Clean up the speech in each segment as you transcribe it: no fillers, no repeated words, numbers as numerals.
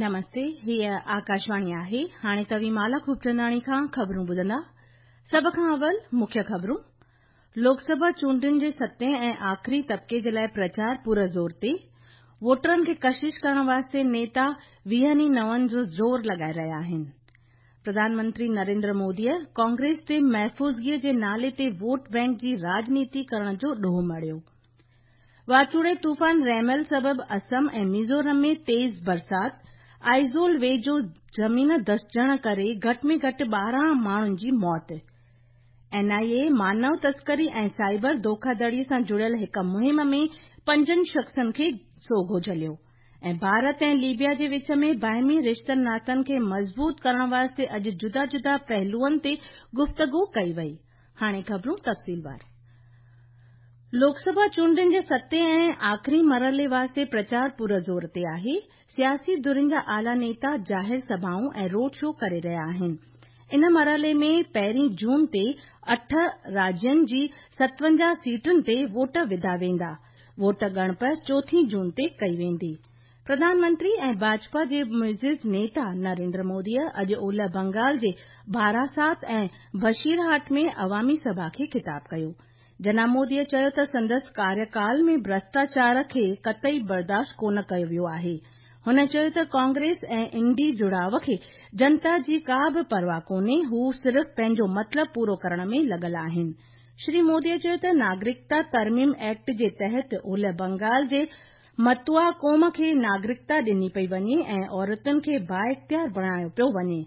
نمستي، هيء آڪاشواڻي آهي. هاڻي توهين مالا خوبچنداڻي کان خبرون ٻڌندا. سڀ کان اول مکيه خبرون. لوڪ سڀا چونڊن جي ستين ۽ آخري طبقي جي لاء پرچار پور زور تي. ووٽرن کي ڪشش ڪرڻ واسطي نيتا ويهن ئي نون جو زور لڳائي رهيا آهن. پرڌان منتري نريندر موديء ڪانگريس تي محفوظگيء جي نالي تي ووٽ بئنڪ جي راڄنيتي ڪرڻ جو ڏوهه مڙهيو. واچوڙي طوفان ريمل سبب اسم ۽ ميزورم ۾ تيز برسات، آئزول ويجهو زمين ڌسجڻ ڪري گهٽ ۾ گهٽ 12 ماڻهن جي موت. اين آء اي مانو تسڪري ۽ سائبر ڌوکاڌڙي سان جڙيل هڪ مهم ۾ پنجن شخصن کي سوگهو جهليو ۽ ڀارت ۽ ليبيا جي وچ ۾ باهمي رشتن ناتن کي مضبوط ڪرڻ واسطي اڄ جدا جدا پهلوئن تي گفتگو ڪئي وئي. هاڻي خبرون تفصيلوار. لوڪ سڀا چونڊن جي ستين ۽ آخري مرحلي واسطي پرچار پور زور تي آهي. سياسي ڌرين جا اعليٰ نيتا ظاهر سڀائون ۽ روڊ شو ڪري رهيا آهن. ان مرحلي ۾ پهرين جون تي اٺ راجين جي 57 سيٽن تي ووٽ وڌا ويندا. ووٽ ڳڻپ چوٿين جون تي ڪئي ويندي. پرڌان منتري ۽ ڀاجپا جي معزز نيتا نريندر موديء اڄ اولهه بنگال جي باراسات ۽ بشيرهاٽ ۾ عوامي سڀا کي خطاب ڪيو. جناب موديء چيو ته سندس ڪاريڪال ۾ ڀرشٽاچار کي قطعي برداشت ڪونه ڪيو ويو آهي. هن چيو ته ڪانگريس ۽ انڊي جڙاء کي جنتا جي ڪا به پرواهه ڪونهي، هو صرف پنهنجو مطلب پورو ڪرڻ ۾ لڳل آهن. شري موديء چيو ته ناگرڪتا ترميم ايڪٽ جي تحت اولهه بنگال جي متوا قوم کي ناگرڪتا ڏني پئي وڃي ۽ عورتن کي بااختيار بڻايو پيو وڃي.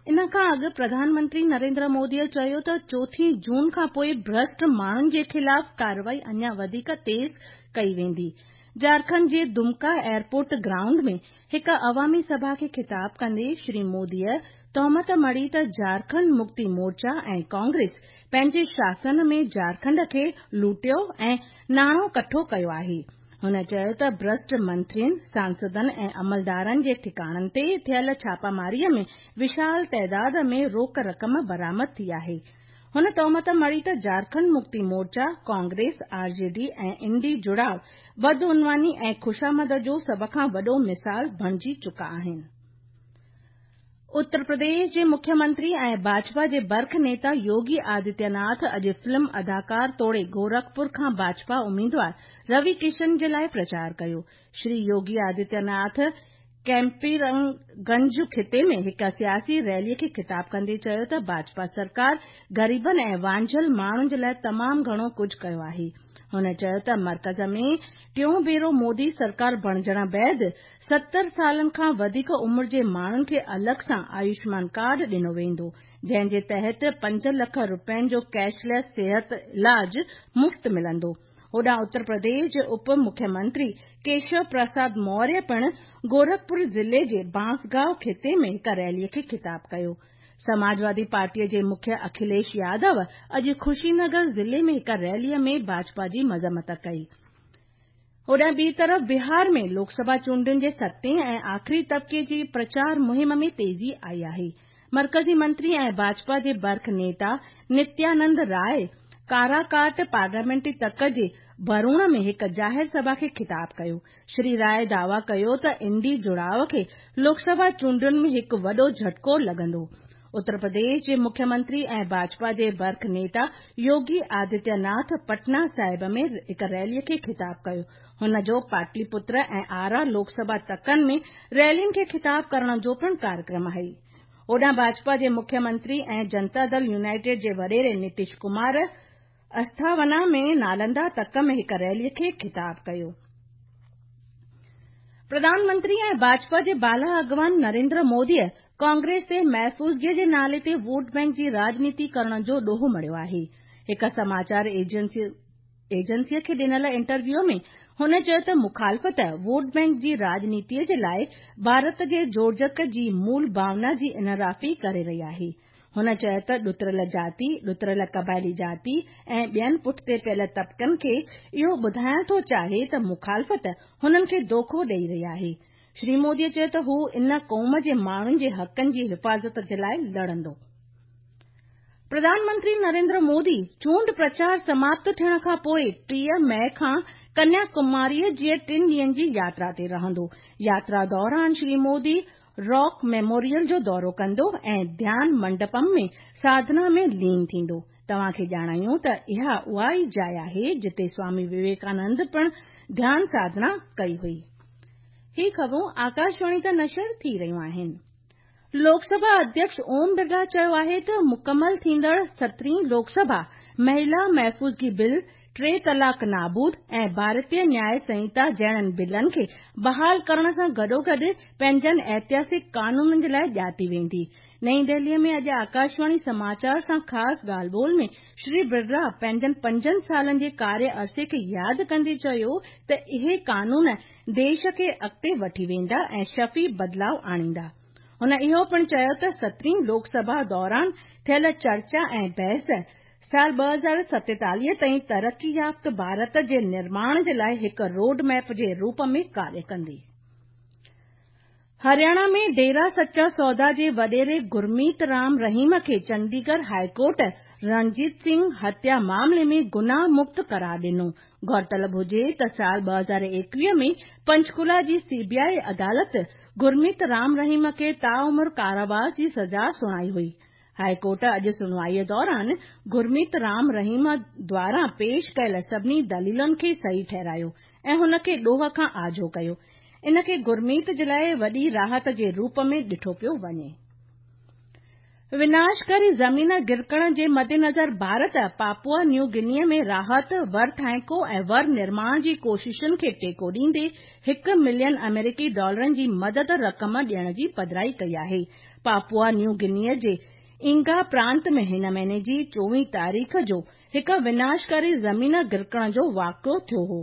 ان کان اڳ پرڌان منتري نريندر موديء چيو ته چوٿين جون کان پوء ڀرشٽ ماڻهن جي خلاف ڪارروائي اڃا وڌيڪ تيز ڪئي ويندي. جهارکنڊ جي دمڪا ايئرپورٽ گرائونڊ ۾ هڪ عوامي سڀا کي خطاب ڪندي شري موديء تهمت مڙهي ته جهارکنڊ مڪتي مورچا ۽ ڪانگريس پنهنجي شاسن ۾ جهارکنڊ کي لوٽيو ۽ ناڻو ڪٺو ڪيو آهي. هن چيو ته ڀرشٽ منترين، سانسدن ۽ عملدارن جي ٺڪاڻن تي ٿيل ڇاپاماريء ۾ وشال تعداد ۾ روڪ رقم برآمد ٿي آهي. هن تهمت مڙهي ته جهارکنڊ مڪتي مورچا، ڪانگريس، آر جي ڊي ۽ انڊي جڙاء بدعنواني ۽ خوشامد جو سڀ کان وڏو مثال بڻجي چڪا آهن. اتر پرديش جي مکيه منتري ۽ ڀاجپا جي برک نيتا يوگي آدتيه ناٿ اڄ فلم اداڪار توڙي گورکپور کان ڀاجپا اميدوار روي ڪشن جي لاء پرچار ڪيو. شري يوگي آدتيه ناٿ ڪيمپيئرگنج خطي ۾ هڪ سياسي ريلي کي خطاب ڪندي چيو ته ڀاجپا سرڪار غريبن ۽ وانجهيل ماڻهن جي لاء تمام گهڻو ڪجهه ڪيو آهي. هن چيو ته مرڪز ۾ ٽيون ڀيرو مودي سرڪار بڻجڻ بعد 70 سالن کان وڌيڪ عمر جي ماڻهن کي الڳ سان آيوشمان ڪارڊ ڏنو ويندو، جنهن جي تحت 5 لک رپين جو ڪيش ليس صحت علاج مفت ملندو. هوڏانهن اتر پرديش جي اپ مکيه منتري ڪيشو پرساد موريه پڻ گورکپور ضلعي جي بانسگائو خطي ۾ هڪ ريلي کي خطاب ڪيو. سماجوادي پارٽي جي مکيه اکليش يادو اڄ خوشي نگر ضلعي ۾ هڪ ريلي ۾ ڀاجپا جي مذمت ڪئي. هوڏانهن ٻي طرف بهار ۾ لوڪ سڀا چونڊن جي ستين ۽ آخري طبقي جي پرچار مهم ۾ تيزي آئي آهي. مرڪزي منتري ۽ ڀاجپا جي برک نيتا نتيانند راء ڪاراڪاٽ پارليامينٽري تڪ جي ڀروڻ ۾ هڪ ظاهر سڀا کي خطاب ڪيو. شري راء دعويٰ ڪيو ته انڊي جڙاء کي لوڪ سڀا چونڊن ۾ هڪ وڏو جهٽڪو لڳندو. اتر پرديش جي مکيه منتري ۽ ڀاجپا جي برک نيتا يوگي آدتيه ناٿ پٽنا صاحب ۾ هڪ ريلي کي خطاب ڪيو. هن جو پاٽلي پتر ۽ آرا لوڪ سڀا تڪن ۾ ريلين کي خطاب ڪرڻ جو پڻ ڪاريڪرم آهي. هوڏانهن ڀاجپا جي مکيه منتري ۽ جنتا دل يونائيٽيڊ جي وڏيري نتيش ڪمار اسٿاونا ۾ نالندا تڪ ۾ هڪ ريلي کي خطاب ڪيو. پرڌان منتري ۽ ڀاجپا جي بالا اڳواڻ نريندر موديء ڪانگريس تي محفوظگيء جي نالي تي ووٽ بئنڪ جي راڄنيتي ڪرڻ جو ڏوهه مڙهيو آهي. هڪ سماچار ايجنسيء کي ڏنل انٽرويوء ۾ هن چيو ته مخالفت ووٽ بئنڪ جي راڄنيتيء جي لاء ڀارت جي جوڙجڪ جي مول ڀاونا جي انحرافي ڪري رهي آهي. هن چيو ته ڏتڙيل جاتي، ڏتڙيل قبائلي جاتي ۽ ٻين پٺتي پيل طبقن کي اهو ٻڌائڻ ٿو چاهي ته مخالفت هنن کي دوکو ڏئي رهي آهي. شري مودي چيو ته هو ان قوم جي ماڻهن جي حقن جي حفاظت جي لاء لڙندو. پرڌان منتري نريندر مودي چونڊ پرچار سماپت ٿيڻ کان پوءِ 30 مئي کان ڪنيا ڪماري جي ٽن ڏينهن جي ياترا تي رهندو. ياترا دوران شري مودي راڪ ميموريل جو دورو ڪندو ۽ ڌيان منڊپم ۾ ساڌنا ۾ لين ٿيندو. توهان کي ڄاڻايون ته اها اها ئي جاءِ آهي جتي سوامي وويڪانند پڻ ڌيان ساڌنا ڪئي هئي. هي خبرون آڪاشواڻي تان نشر ٿي رهيون آهن. لوڪ سڀا اڌيڪش اوم برلا چيو آهي ته مڪمل ٿيندڙ سترهين لوڪ سڀا مهلا محفوظگي بل، ٽي طلاق نابود ۽ ڀارتيه نياء سنهتا جهڙن بلن کي بحال ڪرڻ سان گڏوگڏ پنهنجن ائتهاسڪ قانونن جي لاء ڄاتي ويندي. نئين دهلي ۾ اڄ آڪاشواڻي سماچار سان خاص ڳالهه ٻولهه ۾ شري برلا پنهنجن پنجن سالن جي ڪاريه عرصي کي ياد ڪندي چيو ته اهي قانون ديش کي اڳتي وٺي ويندا ۽ شفي بدلاء آڻيندا. هن اهو پڻ چيو ته سترهين لوڪ سڀا دوران ٿيل چرچا ۽ بحث سال 2047 تائين ترقي يافته ڀارت جي نرماڻ جي لاء هڪ روڊ ميپ جي روپ ۾ ڪاريه ڪندي. هرياڻا ۾ ڊيرا سچا سودا جي وڏيري گرميت رام رحيم کي چنڊيڳڙهه هاء ڪورٽ رڻجيت سنگهه هتيا معاملي ۾ گناهه مڪت قرار ڏنو. غور طلب هجي ته سال 2021 ۾ پنچڪولا جي سي بي آء عدالت گرميت رام رحيم کي تاعمر ڪاراواس جي سزا سڻائي هئي. هاء ڪورٽ اڄ سڻوائي دوران گرميت رام رحيم دواران پيش ڪيل سڀني دليلن کي صحيح ٺهرايو ۽ هن کي ڏوهه کان آجو ڪيو. ان کي گرميت جي لاء وڏي راحت جي روپ ۾ ڏٺو پيو وڃي. وناشڪاري زمين گرڪڻ جي مدنظر ڀارت پاپوا نيو گني ۾ راحت، ورٿائڪو ۽ ور نرماڻ جي ڪوششن کي ٽيڪو ڏيندي هڪ ملين آمريڪي ڊالرن جي مدد رقم ڏيڻ جي پڌرائي ڪئي آهي. پاپوا نيو گني جي اينگا پرانت ۾ هن مهيني جي 24 تاريخ جو هڪ وناشڪاري زمين گرڪڻ جو واقعو ٿيو هو.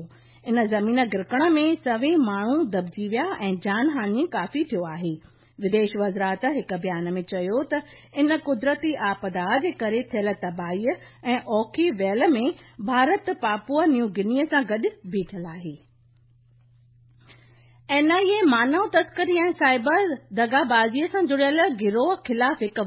ان زمين گرڪڻ ۾ سوين ماڻهو دٻجي ويا ۽ جان هاڃي ڪافي ٿيو آهي. وديش وزارت هڪ بيان ۾ چيو ته ان قدرتي آپدا جي ڪري ٿيل تباهي ۽ اوکي ويل ۾ ڀارت پاپوا نيو گني سان گڏ بيٺل آهي. اين آء اي مانو تسڪري ۽ سائبر دغابازي سان جڙيل گروهه خلاف هڪ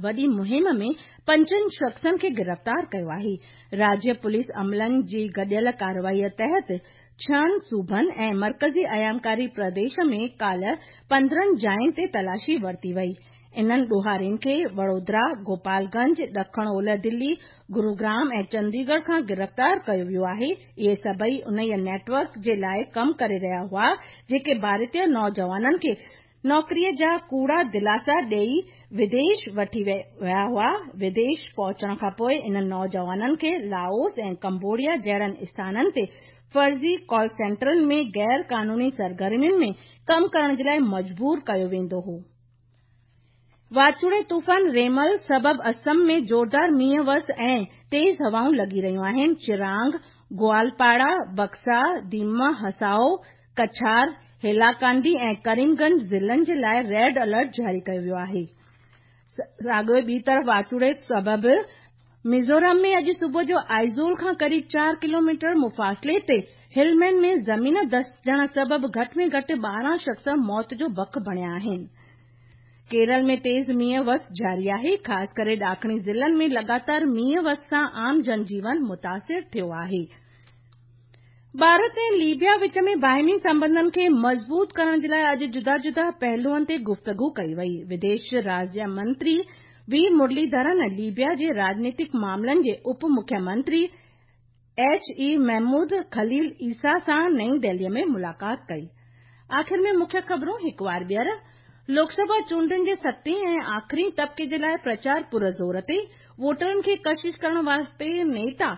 وڏي مهم ۾ پنجن شخصن کي گرفتار ڪيو آهي. راجيه پوليس عملن جي گڏيل ڪارروائي تحت ڇهن صوبن ۽ مرڪزي ايامڪاري پرديش ۾ ڪالهه 15 جاين تي تلاشي ورتي وئي. انهن ڏوهارين کي وڙودرا، گوپال گنج، ڏکڻ اولهه دلي، گروگرام ۽ چنديڳڙهه کان گرفتار ڪيو ويو آهي. اهي سڀئي انهيء نيٽ ورڪ جي لاء ڪم ڪري رهيا هئا، جيڪي ڀارتي نوجوانن کي نوڪريء جا ڪوڙا دلاسا ڏئي وديش وٺي ويا هئا. وديش پهچڻ کانپوء انهن نوجوانن کي لاوس ۽ ڪمبوڊيا جهڙن اسٿانن تي فرضي ڪال سينٽرن ۾ غير قانوني سرگرمين ۾ ڪم ڪرڻ جي لاء مجبور ڪيو ويندو هو. واچوڙي طوفان ريمل سبب اسم ۾ زوردار مينهن وس ۽ تيز هوائون لڳي رهيون آهن. چرانگ، گوالپاڙا، بڪسا، ديما هسائو، ڪڇار، هيلاڪانڊي ۽ ڪريم گنج ضلعن جي لاء ريڊ الرٽ جاري ڪيو ويو آهي. ساڳيو ٻي طرف واچوڙي سبب ميزورم ۾ اڄ صبح جو آئزول کان قريب 4 ڪلوميٽر مفاصلي تي هلمين ۾ زمين دسجڻ سبب گهٽ ۾ گهٽ 12 شخص موت جو بک بڻيا آهن. ڪيرل ۾ تيز مينهن وس جاري آهي، خاص ڪري ڏاکڻي ضلعن ۾ لڳاتار مينهن وس سان عام جنجيون متاثر ٿيو آهي. ڀارت ۽ ليبيا وچ ۾ باهمي سنٻنڌن کي مضبوط ڪرڻ جي لاء اڄ جدا جدا پهلوئن تي گفتگو ڪئي وئي. وديش راجيه منتري وي مرلي ڌرن ليبيا جي راڄنيتڪ معاملن جي اپ مکيه منتري ايڇ اي محمود خليل عيسيٰ سان نئين دهلي ۾ ملاقات ڪئي. آخر ۾ مکيه خبرون هڪ وار ٻيهر، لوڪ سڀا چونڊن جي ستين ۽ آخرين طبقي جي لاء پرچار پر زور تي، ووٽرن کي ڪشش ڪرڻ واسطي نيتا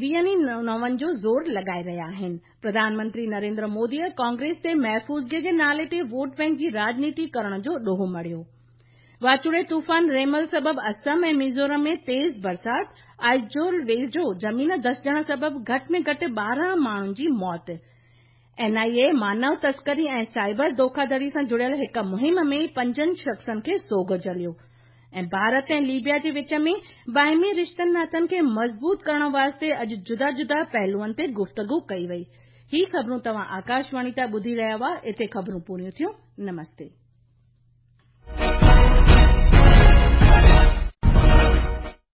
ويهن ئي نون جو زور لڳائي رهيا آهن. پرڌان منتري نريندر موديء ڪانگريس تي محفوظگي جي نالي تي ووٽ بئنڪ جي راڄنيتي ڪرڻ جو ڏوهه مڙهيو. واچوڙي طوفان ريمل سبب اسم ۽ ميزورم ۾ تيز برسات، آئزول ويجهو زمين ڌسجڻ سبب گهٽ ۾ گهٽ 12 ماڻهن جي موت. اين آء اي مانو تسڪري ۽ سائبر ڌوکاڌڙي سان جڙيل هڪ مهم ۾ پنجن شخصن کي سوگهو جهليو ۽ ڀارت ۽ ليبيا جي وچ ۾ باهمي رشتن ناتن کي مضبوط ڪرڻ واسطي اڄ جدا جدا پهلوئن تي گفتگو ڪئي وئي. هي خبرون توهان آڪاشواڻي تان ٻڌي رهيا هئا. اتي خبرون پوريون ٿيون. نمستي.